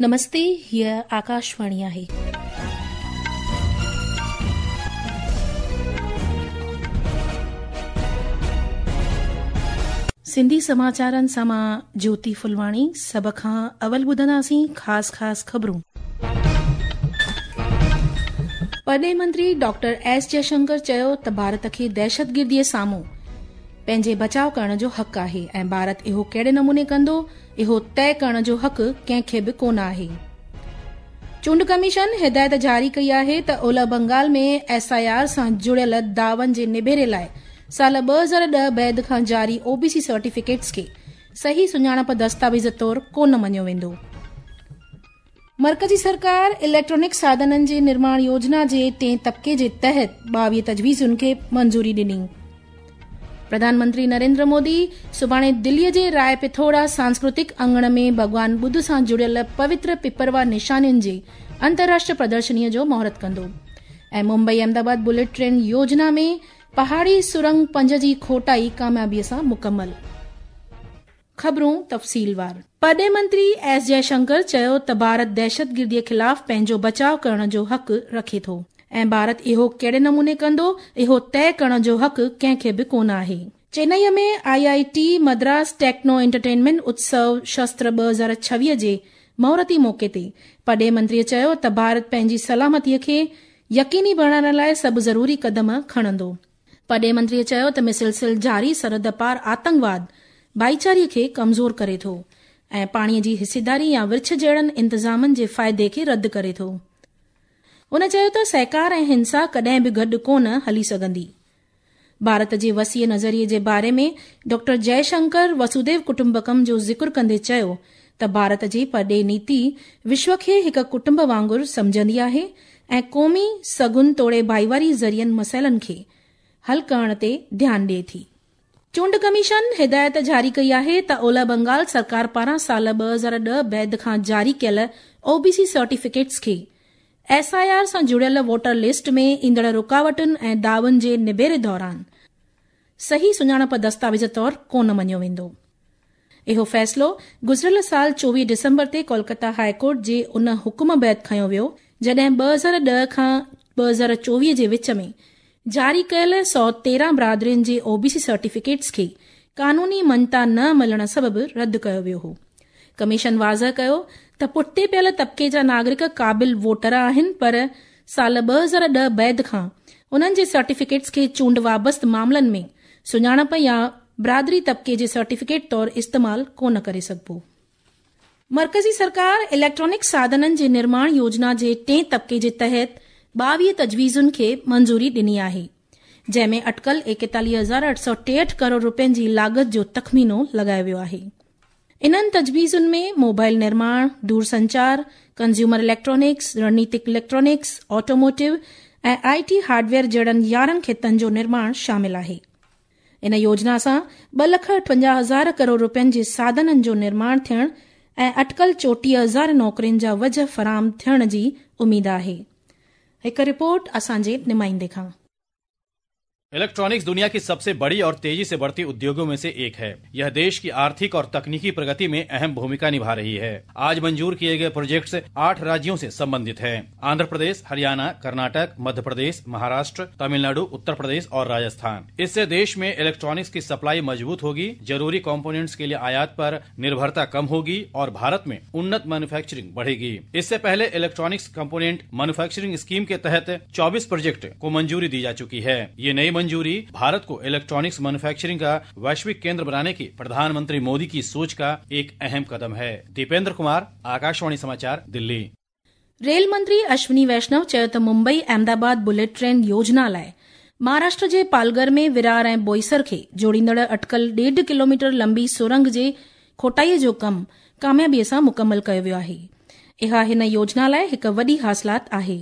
نمستي هيء آڪاشواڻي آهي. سنڌي سماچارن سان مان جوتي ڦلواڻي سڀ کان اول ٻڌنداسين خاص خاص خبرون. پرڏيهي منتري ڊاڪٽر ايس جئشنڪر چيو ته ڀارت کي دهشتگردي سامهون پنهنجي بچاء ڪرڻ جو حق آهي ۽ ڀارت اهو ڪهڙي نموني ڪندو اهو طئي ڪرڻ جو حق ڪنهن کي به ڪونه آهي. چونڊ ڪميشن هدايت جاري ڪئي آهي ته اولهه بنگال ۾ ايس I R سان جڙيل دعون جي نبيري لاء سال 2010 بعد کان جاري او بي سي سرٽيفڪيٽس کي صحيح سڃاڻپ دستاويز طور ڪونه مڃيو ويندو. مرڪزي سرڪار اليڪٽرانڪ ساڌنن جي نرماڻ يوجنا جي ٽئين طبقي جي تحت 22 تجويزن کي منظوري ڏني. پرڌان منتري نريندر مودي سڀاڻي دلي جي راء پٿورا سانسڪرتڪ اڱڻ ۾ ڀڳوان ٻڌ سان جڙيل پوتر پپروا نشانين جي انترراشٽريه پردرشني جو مهورت ڪندو ۽ ممبئي احمدآباد بليٽ ٽرين يوجنا ۾ پهاڙي سرنگ 5 جي کوٽائي ڪاميابي سان مڪمل. خبرون تفصيلوار. پرڏيهي منتري ايس جئه شنڪر چيو ته ڀارت دهشتگردي خلاف پنهنجو بچاء ڪرڻ جو حق رکي ٿو ۽ ڀارت اهو ڪهڙي نموني ڪندو اهو طئي ڪرڻ جو حق ڪنهن کي به ڪونه آهي. Chennai ۾ I I T Madras techno entertainment Utsav Shastra 2026 جي مهورتي موقعي تي پرڏيهي منتري چيو ته ڀارت پنهنجي سلامتي کي يقيني بڻائڻ لاء سڀ ضروري قدم کڻندو. پرڏيهي منتري چيو ته مسلسل جاري سرحد پار آتنڪواد ڀائيچاري کي ڪمزور ڪري ٿو ۽ پاڻي جي حصيداري يا ورڇ جهڙن انتظامن جي فائدي کي رد ڪري ٿو. هن چيو ته سهڪار ۽ هنسا ڪڏهن به گڏ ڪونه هلي سگهندي. ڀارت جي وسيع نظريي جي باري ۾ ڊاڪٽر جئه شنڪر وسوديو ڪٽنبڪم جو ذڪر ڪندي چيو ته ڀارت جي پرڏيهي نيتي وشو کي هڪ ڪٽنب وانگر سمجهندي آهي ۽ قومي سگهن توڙي ڀائيواري ذريعن مسئلن کي حل ڪرڻ تي ڌيان ڏئي ٿي. چونڊ ڪميشن هدايت جاري ڪئي آهي ته اولهه بنگال سرڪار پاران سال 2010 بعد کان جاري ڪيل او بي سي سرٽيفڪيٽس کي ايس I R سان جڙيل ووٽر لسٽ ۾ ايندڙ رڪاوٽن ۽ دعون جي نبيري دوران صحيح سڃاڻپ دستاويز طور ڪونه مڃيو ويندو. اهو فيصلو گذريل سال 24 ڊسمبر تي ڪولڪتا هاء ڪورٽ جي ان حڪم بعد کنيو ويو جڏهن 2010 کان 2024 جي وچ ۾ جاري ڪيل 113 برادرين جي او بي سي سرٽيفڪيٽس کي قانوني مڃتا نه ملڻ سبب رد ڪيو ويو هو. ڪميشن واضح ڪيو ته پٺتي پيل طبقي جا ناگرڪ قابل ووٽر آهن پر سال 2010 بعد کان انهن جي سرٽيفڪيٽس کي چونڊ وابسته معاملن ۾ سڃاڻپ يا برادري طبقي جي سرٽيفڪيٽ طور استعمال ڪونه ڪري سگهبو. مرڪزي سرڪار اليڪٽرانڪ ساڌنن جي نرماڻ يوجنا جي ٽئين طبقي جي تحت 22 تجويزن کي منظوري ڏني آهي، جنهن ۾ اٽڪل 41863 ڪروڙ رپين جي لاڳت جو تخمينو لڳايو ويو آهي. انهن تجويزن ۾ موبائل نرماڻ، دورسنچار، ڪنزيومر اليڪٽرانڪس، رڻنيتڪ electronics, automotive ۽ I T hardware جهڙن 11 خطن جو نرماڻ شامل آهي. ان يوجنا سان ٻه لک 58 هزار ڪروڙ رپين جي ساڌنن جو نرماڻ ٿيڻ ۽ اٽڪل 34 هزار نوڪرين جا وجهه فراهم ٿيڻ جي اميد آهي. هڪ رپورٽ اسان جي نمائندي کان. इलेक्ट्रॉनिक्स दुनिया की सबसे बड़ी और तेजी से बढ़ती उद्योगों में से एक है। यह देश की आर्थिक और तकनीकी प्रगति में अहम भूमिका निभा रही है। आज मंजूर किए गए प्रोजेक्ट्स 8 राज्यों से संबंधित हैं: आंध्र प्रदेश, हरियाणा, कर्नाटक, मध्य प्रदेश, महाराष्ट्र, तमिलनाडु, उत्तर प्रदेश और राजस्थान। इससे देश में इलेक्ट्रॉनिक्स की सप्लाई मजबूत होगी, जरूरी कंपोनेंट्स के लिए आयात पर निर्भरता कम होगी और भारत में उन्नत मैन्युफैक्चरिंग बढ़ेगी। इससे पहले इलेक्ट्रॉनिक्स कंपोनेंट मैन्युफैक्चरिंग स्कीम के तहत 24 प्रोजेक्ट को मंजूरी दी जा चुकी है। ये नई मंजूरी भारत को इलेक्ट्रॉनिक्स मैन्युफैक्चरिंग का वैश्विक केंद्र बनाने की प्रधानमंत्री मोदी की सोच का एक अहम कदम है। दीपेंद्र कुमार, आकाशवाणी समाचार, दिल्ली। रेल मंत्री अश्विनी वैष्णव चयो त मुंबई अहमदाबाद बुलेट ट्रेन योजना लाइ महाराष्ट्र जे पालघर में विरार ऐं बोईसर खे जोड़ींदड़ अटकल 1.5 किलोमीटर लंबी सुरंग जे खोटाईअ जो कमु कामयाबीअ सां मुकमल कयो वियो आहे। इहा हिन योजना लाइ हिकु वॾी हासिलात आहे।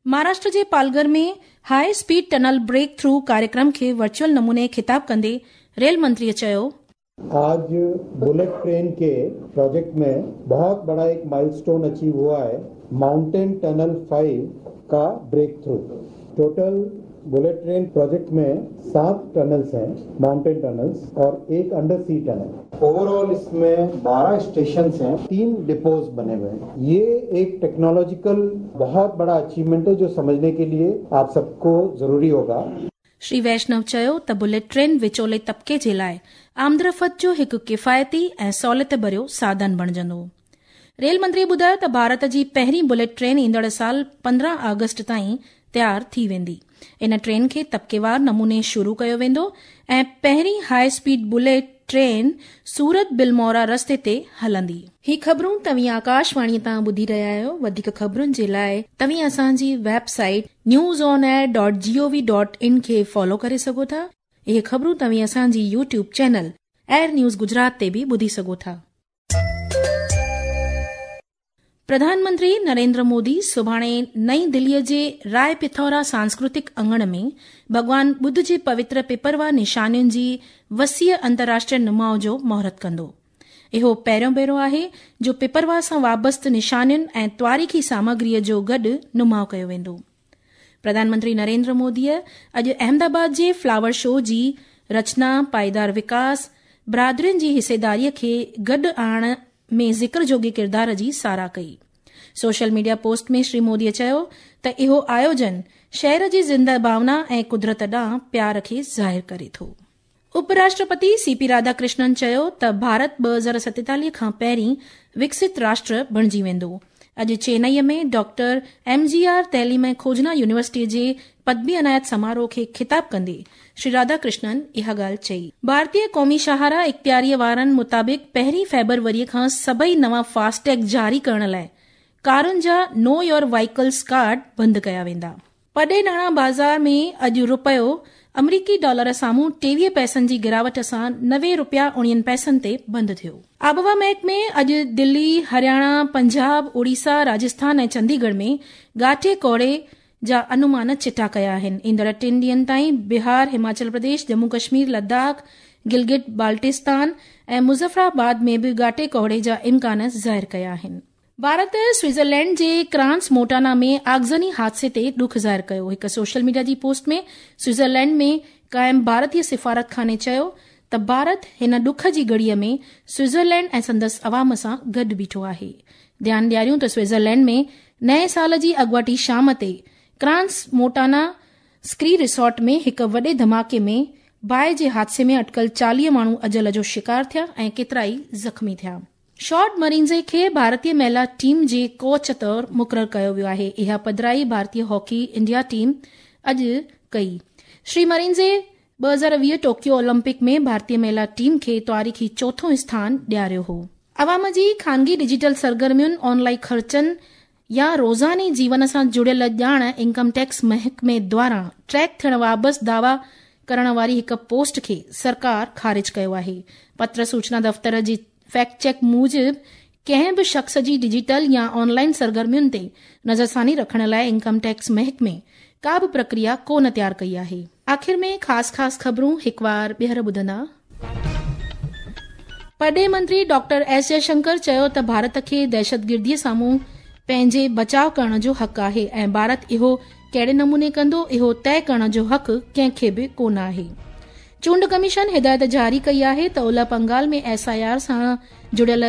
महाराष्ट्र जे पालघर में high speed tunnel break through कार्यक्रम खे वर्चुअल नमूने ख़िताब कंदे रेल मंत्रीअ चयो, आज बुलेट ट्रेन के प्रोजेक्ट में बहुत बड़ा एक माइलस्टोन अचीव हुआ है, माउंटेन टनल 5 का breakthrough. Total bullet train project में 7 टनल्स हैं, माउंटेन टनल्स और एक अंडर सी टनल। ओवरऑल इसमें 12 स्टेशन हैं, 3 डिपोज बने हुए हैं। ये एक टेक्नोलॉजिकल बहुत बड़ा अचीवमेंट है जो समझने के लिए आप सबको जरूरी होगा। श्री वैष्णव चयो त बुलेट ट्रेन विचोले तबिके जे लाइ आमदरफ़्त जो हिकु किफ़ायती ऐं सहूलियत भरियो साधन बणिजंदो। रेल मंत्री ॿुधायो त भारत जी पहिरीं बुलेट ट्रेन ईंदड़ साल 15 आगस्ट ताईं तयार थी वेंदी। इन ट्रेन खे तबिकेवार नमूने शुरू कयो वेंदो ऐं पहिरीं high speed bullet train Surat Bilimora रस्ते ते हलंदी। ही ख़बरूं तव्हीं आकाशवाणी तां ॿुधी रहिया आहियो। वधीक ख़बरुनि जे लाइ तव्हीं असांजी वेबसाइट newsonair.gov.in खे फॉलो करे सघो था। इहे ख़बरूं तव्हीं असांजी YouTube channel air news Gujarat ते बि ॿुधी सघो था। प्रधानमंत्री नरेंद्र मोदी सुभाणे नई दिल्लीअ जे राय पिथौरा सांस्कृतिक अंगण में भॻवान बुद्ध जे पवित्र पिपरवा निशानियुनि जी वसीअ अंतर्राष्ट्रीय नुमाउ जो मुहूर्त कंदो। इहो पहिरियों भेरो आहे जो पिपरवा सां वाबस्त निशानियुनि ऐं तवारीख़ी सामग्रीअ जो गॾु नुमाउ कयो वेंदो। प्रधानमंत्री नरेंद्र मोदीअ अॼु अहमदाबाद जे फ्लावर शो जी रचना, पाईदार विकास, बरादरियुनि जी हिसेदारीअ खे गॾु आणण में ज़िक्र जोगे किरदार जी साराह कई। सोशल मीडिया पोस्ट में श्री मोदीअ चयो त इहो आयोजन शहर जी ज़िंदा भावना ऐं कुदरत ॾांहुं प्यार खे ज़ाहिर करे थो। उपराष्ट्रपति सीपी राधाकृष्णन चयो त भारत 2047 खां पहिरीं विकसित राष्ट्र बणिजी वेंदो। अॼु चेन्नईअ में डॉक्टर एमजीआर तइलीम ऐं खोजना यूनिवर्सिटीअ जे पदवी अनायत समारोह खे ख़िताब कंदे श्री राधाकृष्णन इहा ॻाल्हि चई। भारतीय क़ौमी शाहराह इख़्तियारीअ वारनि मुताबिक़ 1 फ़ेब्रुवरीअ खां सभई नवां फास्टैग जारी करण लाइ कारुनि जा नो your vehicles card बंदि कया वेंदा। पॾे नाणा बाज़ार में अॼु रुपयो अमरीकी डॉलर साम्हूं 23 पैसनि जी गिरावट सां 90 रुपया 49 पैसनि ते बंदि थियो। आबहवा महकमे अॼु दिल्ली, हरियाणा, पंजाब, ओडिशा, राजस्थान ऐं चंडीगढ़ में ॻाठे कोहरे जा अनुमान चिटा कया आहिनि। ईंदड़ 3 ॾींहनि ताईं बिहार, हिमाचल प्रदेश, जम्मू कश्मीर, लद्दाख, गिलगित बाल्टिस्तान ऐं मुज़फ़राबाद में बि ॻाठे कोहरे जा इम्कान ज़ाहिर कया आहिनि। भारत स्विट्ज़रलैंड जे क्रांस मोटाना में आगज़नी हादसे ते ॾुख ज़ाहिर कयो। हिकु सोशल मीडिया जी पोस्ट में स्विट्ज़रलैंड में क़ाइम भारतीय सिफ़ारतखाने चयो त भारत हिन ॾुख जी घड़ीअ में स्विट्ज़रलैंड ऐं संदसि अवाम सां गॾु बीठो आहे। ध्यानु ॾियारियूं त स्विट्ज़रलैंड में नए साल जी अॻुवाटी शाम ते क्रांस मोटाना स्की रिसॉर्ट में हिकु वॾे धमाके में बाहि जे हादसे में अटकल 40 माण्हू अजल जो शिकार थिया ऐं केतिरा ई ज़ख़्मी थिया। शॉर्ट मरींजे खे भारतीय महिला टीम जे कोच तौर मुक़ररु कयो वियो आहे। इहा पधराई भारतीय हॉकी इंडिया टीम अॼु कई। श्री मरींजे 2020 टोक्यो ओलंपिक में भारतीय महिला टीम खे तवारीख़ी चोथों स्थान ॾियारियो हो। अवाम जी ख़ानगी डिजिटल सरगर्मियुनि, ऑनलाइन ख़र्चनि या रोज़ाने जीवन सां जुड़ियल ॼाण इनकम टैक्स महकमे द्वारा ट्रैक थियण वाबस्त दावा करण वारी हिकु पोस्ट खे सरकार ख़ारिज कयो आहे। पत्र सूचना दफ़्तर जी फैक्ट चेक मूजिबि कंहिं बि शख़्स जी डिजिटल या ऑनलाइन सरगर्मियुनि ते नज़रसानी रखण लाइ इनकम टैक्स महकमे का बि प्रक्रिया कोन तयार कई आहे। आख़िर में ख़ासि ख़ासि ख़बरूं हिकु वार ॿीहर ॿुधंदा। परॾेह मंत्री डॉक्टर एस जयशंकर चयो त भारत खे दहशतगिर्दीअ साम्हूं पंहिंजे बचाव करण जो हक़ आहे ऐं भारत इहो कहिड़े नमूने कंदो इहो तय करण जो हक़ कंहिंखे बि कोन आहे। चूंड कमीशन हिदायत जारी कई आहे त ओलह बंगाल में एसआईआर सां जुड़ियल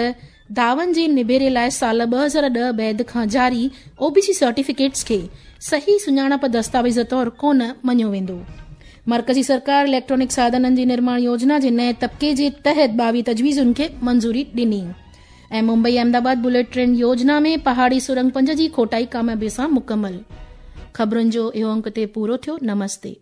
दावन जे निबेरे लाइ साल 2010 बैद खां जारी ओबीसी सर्टिफिकेट्स खे सही सुञाणप दस्तावेज़ तौर कोन मञियो वेंदो। मर्कज़ी सरकार इलेक्ट्रॉनिक साधननि जी निर्माण योजना जे नए तबिके जे तहत 22 तजवीज़ुनि खे मंज़ूरी ॾिनी ऐं मुंबई अहमदाबाद बुलेट ट्रेन योजना में पहाड़ी सुरंग 5 जी खोटाई कामयाबी सां मुकमल। ख़बरुनि जो इहो अंक ते पूरो थियो। नमस्ते।